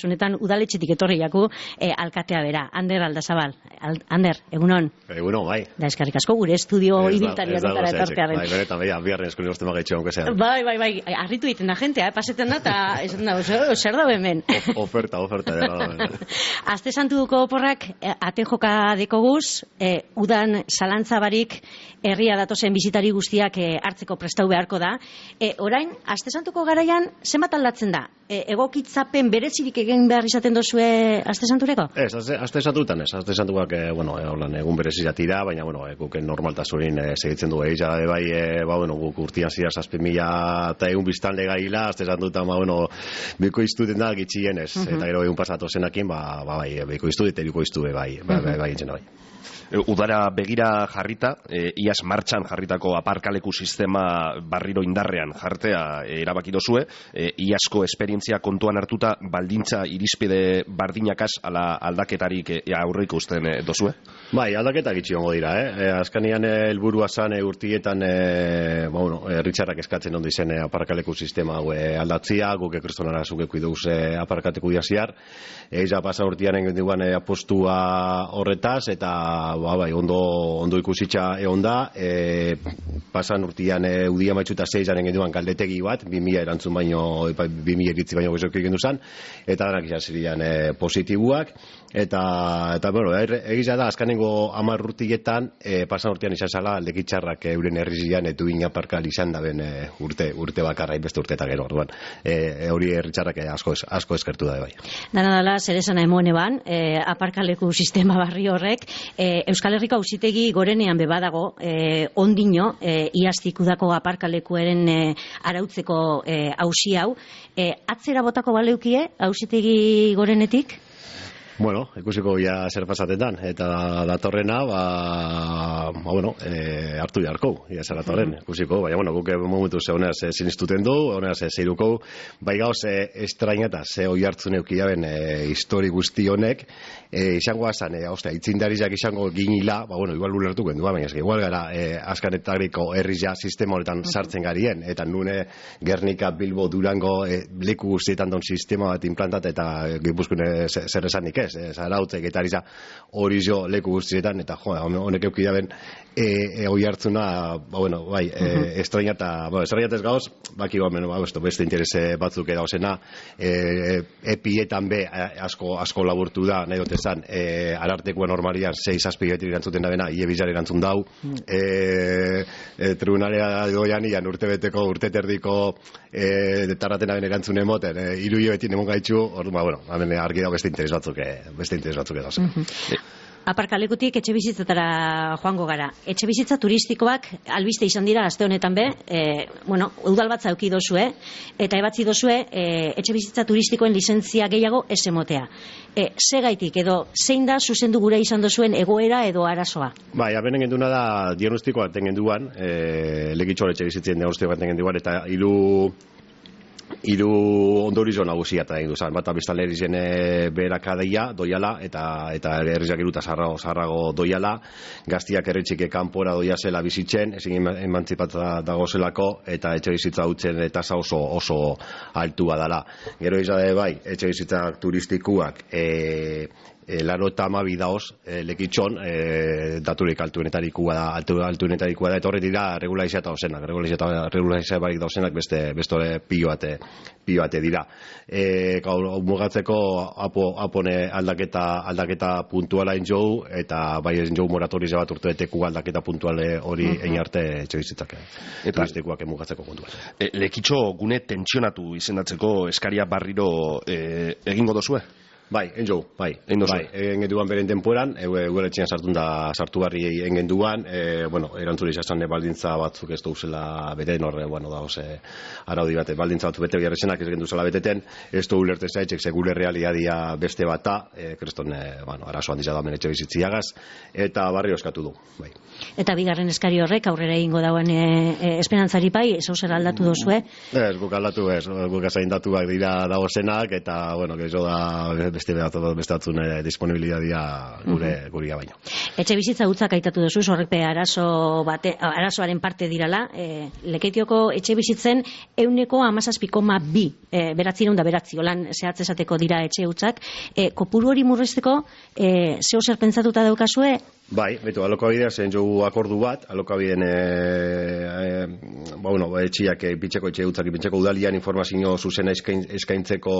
kasunetan udaletxetik etorri jaku alkatea bera. Ander Aldazabal. Ander, egunon. Egunon, bai. Da eskerrik asko gure estudio ibiltariak eta etortearen. Bai, benetan, bai, biarren eskurin uste magaitxo onke zean. Bai, arritu egiten da jentea, paseten da, eta esan da, zer da hemen. Oferta. Aste santuko oporrak ate joka dekoguz, udan zalantzabarik herria datozen bizitari guztiak hartzeko prestau beharko da. Orain, aste santuko garaian, zenbat aldatzen da? Egokitzapen berezirik egin behar izaten dozue aste santureko? Ez, aste santutan ez. Aste santuak, egun berezia tira, baina, guken normaltasunin segitzen du egitza, bai, guk urtian zira 7.000 biztanle gaila, aste santutan, biko iztuten da gitxien ez, eta gero egun pasatu zenakin, bai, biko iztut, eta biko iztue, bai, entzena bai. Udara begira jarrita, iaz martxan jarritako aparkaleku sistema barriro indarrean jartea erabaki dozue, iazko esperientzia kontuan hartuta baldintza irizpide bardinakaz ala aldaketarik aurreiko usten dozue? Bai, aldaketak itxiongo dira, azkanian helburua zan urtietan herritxarrak eskatzen ondo izen aparkaleku sistema aldatzia, guk ekristonara zukeko iduz aparkateku diaziar, eza pasa urtean engenduan apostua horretaz, eta ondo ikusitza egon da, pasan urtean udia maitxuta 6 engenduan galdetegi bat, 2000 erantzun baino, 2000 eritzi baino goizok egin duzan, eta danak izan positibuak, eta egiza da, azkanengo 10 urtietan, pasan urtean izan zala, aldekitxarrak euren herrizian, etu inaparkal izan da ben urte bakarra, beste urteetan gero, orduan, hori herritxarrak asko eskertu da, bai. Dana dala, zer esan emone ban, aparkaleku sistema barri horrek, Euskal Herriko Auzitegi gorenean bebadago, ondino, iaztik udako aparkalekuaren arautzeko auzi hau, atzera botako baleukie Auzitegi gorenetik? Ikusiko ja zer pasatetan, eta datorrena, hartu beharko, ia zer datorren, ikusiko, baina, guk momentu ze honez sinistuten du, honez zeiruko, bai gauz estraineta, ze hoi hartzun eukiaben histori guzti honek, izango azan, itzindarizak izango ginila, igual ulertuko endu, baina, igual gara, azkanetariko herrizia sistema honetan sartzen garien, eta nune Gernika, Bilbo, Durango, leku guztietan don sistema bat implantat, eta gipuzkune zer esanik ez, zarautzek eta hori jo leku guztietan, eta honek eukidaben hoi hartzuna, estrainata ez gauz, baki beste interese batzuk edauzena, epietan be asko laburtu da, nahi dotezan, arartekoa normalian 6-7 beti erantzuten da bena, iebizar erantzun dau, tribunalea doian ian urte terdiko tarratena ben erantzun emoten, 3 hilabete emon gaitxu, hemen argi dago beste interes batzuk edauz. Aparkalekutik etxe bizitzatara joango gara. Etxe bizitza turistikoak albiste izan dira aste honetan be, udal bat zauki dozue, eta ebatzi dozue etxe bizitza turistikoen lizentzia gehiago ez emotea. Segaitik edo zein da zuzendu gure izan dozuen egoera edo arazoa? Bai, abenen genduna da diagnostikoa tengenduan, legitxoa etxe bizitzien diagnostikoa tengenduan, eta hiru ondorizo nagusia eta egin duzan, bat biztanleri zen berakadeia doiala, eta herrizak iruta zarrago doiala, gaztiak erretxike kanpora doia zela bizitzen, ezin emantzipatza dago zelako, eta etxe bizitza hutzen tasa oso altua dala. Gero izade bai, etxe bizitzak turistikuak laro eta amabi daoz lekitxon daturik altuenetarikoa da, eta horret dira regulaizia eta ozenak, regulaizia barik dauzenak beste pioate dira. Mugatzeko apone aldaketa puntuala enjou, eta bai enjou moratorize bat urtebeteku aldaketa puntuale hori einarte etxebizitzak turistikoak mugatzeko puntuan. Lekitxo gune tentsionatu izendatzeko eskaria barriro egingo dozue? Bai, engenduan beren temporan, eugeletxean sartu barri engenduan, erantzule izan baldintza batzuk ez duzela beten, araudi bat, baldintza batzuk bete biarrezenak ez genduzela beteten, ez du ulerten zaitzek, segure realidadia beste bata, kreston, arazoan dizadamen etxe bizitziagaz, eta barri oskatu du, bai. Eta bigarren eskari horrek aurrera egingo dauen esperantzari pai, zer aldatu dozue? Ez, guk aldatu ez, guk azain datuak dira dagozenak, eta, gezo da beste batzun disponibilidadia guria baino. Etxe bizitza hutzak aitatu duzu, horrek arazoaren parte dirala, Lekeitioko etxe bizitzen 17,2 beratzi, holan zehatz esateko dira etxe hutzak, kopuru hori murrizteko, zeo zer pentsatuta daukazue? Bai, betu, alokabidea zen jogu akordu bat, alokabideen etxiak ipintzeko, etxe hutzak ipintzeko udalian informazio zuzena eskaintzeko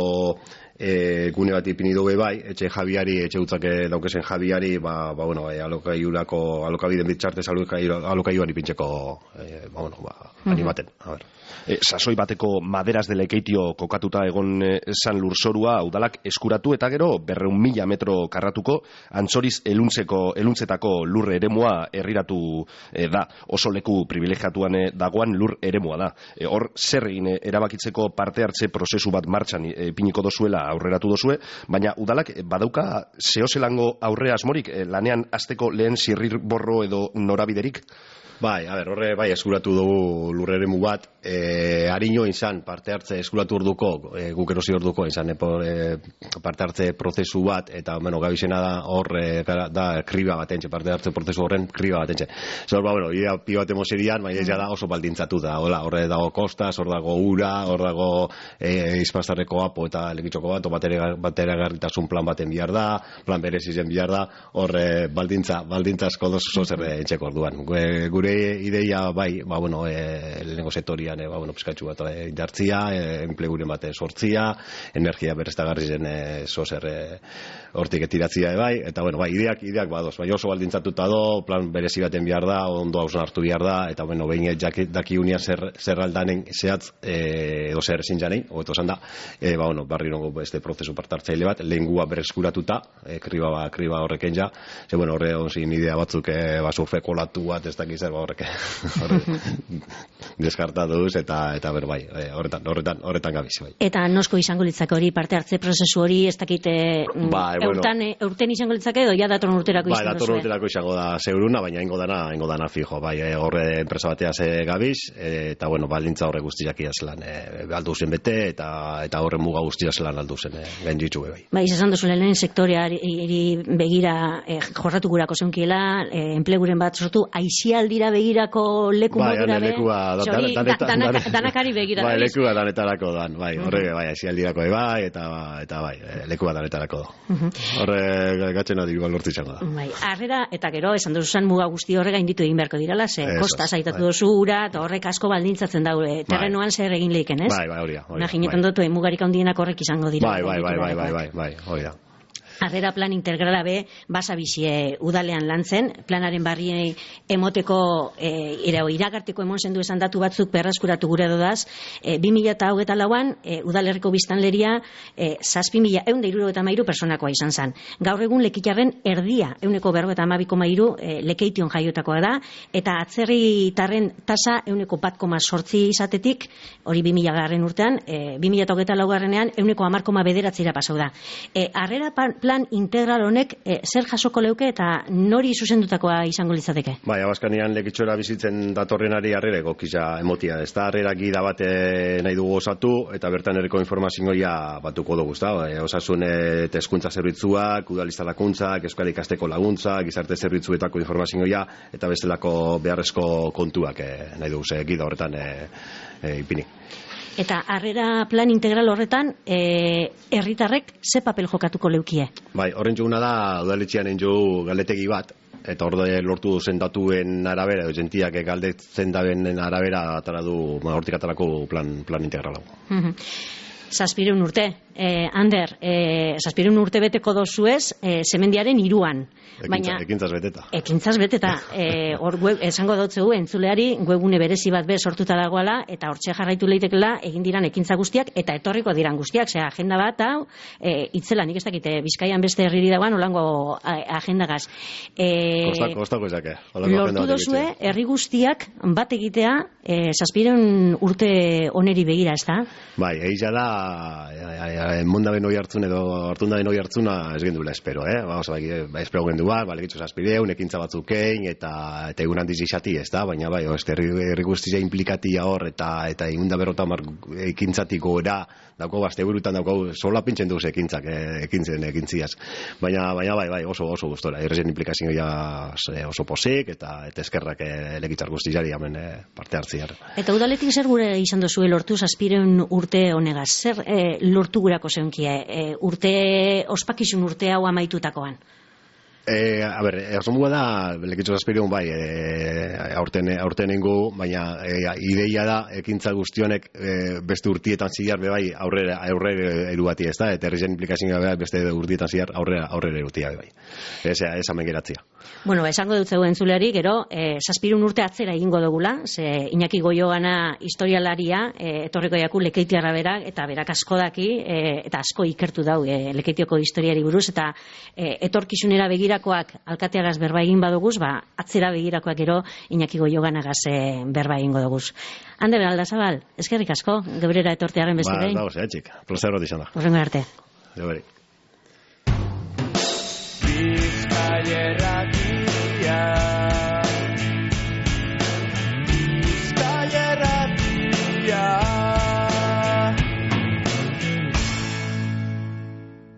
gune bat ipini dugu bai, etxe jabiari, etxe hutzak daukezen jabiari, alokabideen bitxartez alokaiduan ipintzeko animaten, a ber. Sasoi bateko maderas de Lekeitio kokatuta egon san lurzorua udalak eskuratu eta gero 200.000 metro karratuko Antzoriz eluntzetako lur eremua herriratu da. Oso leku privilegiatuan dagoan lur eremua da. Hor zer egin erabakitzeko parte hartze prozesu bat martxan ipiniko dozuela aurreratu dozue, baina udalak badauka zehozelango aurre asmorik lanean hasteko lehen zirrirborro edo norabiderik? Bai, horre bai eskuratu dugu lurreremu bat, harino izan parte hartze eskuratu orduko, guk erosi orduko izan parte hartze prozesu bat, eta gabizena da hor da kriba batentxe, parte hartze prozesu horren kriba batentxe. Zor, idea pi bat emoserian, baina da oso baldintzatu da, horre dago kostas, hor dago ura, hor dago izpastarreko apo eta lekitxoko bat, bateragarritasun plan baten bihar da, plan berezizen bihar da, hor baldintzazko dozu zer entxeko orduan. Gure ideia bai, lehenengo sektorian, pizkatxu bat indartzia, enpleguren bat sortzia, energia berriztagarri zen zozer hortik etiratzia bai, eta ideak badoz, bai oso baldintzatuta do, plan berezi baten bihar da, ondo hausen hartu bihar da, eta behin daki unia zer aldanen zehatz, edo zer ezin janein, hobeto esan da, barri nongo beste prozesu partartzaile bat, lehengua berreskuratuta, kriba horreken ja, horre onzin idea batzuk surfeko latu bat, ez dakiz horrek deskartatuz eta bai, horretan gabiz bai. Eta nosko izango litzake hori parte hartze prozesu hori ez dakite urten izango litzake edo ja datorren urterako izango bai, datorren urterako izango da seguruna, baina ingo dana fijo, bai, horre enpresa bateaz gabiz, eta baldintza horre guztiak iazlan aldu zen bete, eta horre muga guztiak zelan aldu zen gainditzu bai. Bai, izan duzu lehen sektoreari begira jorratu gurako zeunkiela, enpleguren bat sortu, aizialdira begirako leku modura danakari begira. Bai, lekua danetarako dan, bai, horre, bai, aizialdirako eta bai, lekua danetarako da. Horre gatzen adiru lortu izango da. Bai, harrera eta gero, esan duzuzan muga guzti horrega inditu egin beharko dirala, kosta zaitatu duzu ura, eta horrek asko baldintzatzen daure, terrenoan zer egin lehiken, ez? Bai, hori da. Imaginetan dutu, mugarik handienak horrek izango dira. Bai, hori da. Harrera plan integrala be, basabizie udalean lantzen, planaren barri emoteko iragarteko emon zendu esan datu batzuk berraskuratu gure dodaz, 2024an udalerriko biztanleria 7.163 personakoa izan zen. Gaur egun Lekitarren erdia, 152,3 Lekeition jaiotakoa da, eta atzerritarren tasa 1,8 izatetik, hori 2000 urtean, 2024ean 1,10,9 pasau da. Harrera plan integral honek zer jasoko leuke eta nori zuzendutakoa izango litzateke? Bai, Abaskanian Lekitxora bizitzen datorrenari harrera egokiza emotia. Ez da harrera gida bat nahi dugu osatu, eta bertan erreko informazioa batuko dugu, ezta? Osasun eta hezkuntza zerbitzuak, udaliztalakuntzak, euskal ikasteko laguntzak, gizarte zerbitzuetako informazioa, eta bestelako beharrezko kontuak nahi dugu, gida horretan ipini. Eta harrera plan integral horretan, herritarrek ze papel jokatuko leukie? Bai, horren juguna da, udaletxean enju galdetegi bat, eta hor lortu zen datuen arabera, gentiak galdetzen daben arabera, hortik atarako plan integral hau. 700 urte, Ander, 700 urte beteko dozuez, semendiaren 3an. Ekintzaz beteta. Ekintzaz beteta. Hor esango dautzegu, entzuleari, webgune berezi bat sortuta dagoela, eta hortxe jarraitu leitekela, egin diran ekintza guztiak, eta etorriko diran guztiak. Agenda bat, hau, itzela, nik ez dakite, Bizkaian beste herriri dagoan, olango agendagaz. Kostako ezake. Lortu dozue, herri guztiak bat egitea, 700 urte oneri begira, ez da? Bai, egia da, mondaben hori hartzun edo hartundaben hori hartzuna ez gendula espero, espero gendu lekitxo zazpideun, ekintza batzukein, eta egun handiz izati ez da, baina bai, herri guztia implikatia hor, eta egunda berrota ekintzatik gora, dauko azte burutan dauko sola pintzen duz ekintziaz. Baina bai, oso gustora, herrien implikazioa oso posik, eta eskerrak lekitzar guztiari hemen parte hartziar. Eta udaletik zer gure izan dozue lortu zazpireun urte honegaz? Zer lortu gurako zeunkie? Ospakizun urte hau amaitutakoan? Asomua da, lekitxo zazpireun bai, aurtenengo, baina ideia da, ekintza guztionek beste urtietan ziar, bai, aurrera erubati ez da, eta herrien implikazioa bai, beste urtietan ziar, aurrera erutia bai. Ez hemen geratzia. Bueno, esango dut zeu entzuleari, gero, zazpirun urte atzera egingo dugula, ze Iñaki Goiogana historialaria, etorriko jaku Lekeitiarra berak, eta berak asko daki, eta asko ikertu dau Lekeitioko historiari buruz, eta etorkizunera begirakoak alkateagaz berba egin baduguz, atzera begirakoak gero Iñaki Goioganagaz berba egingo duguz. Hande Aldazabal, eskerrik asko, gebrera etortearen beste behin. Ba, zehatxik, plazer bat izan da. Horrengo arte. Geberi.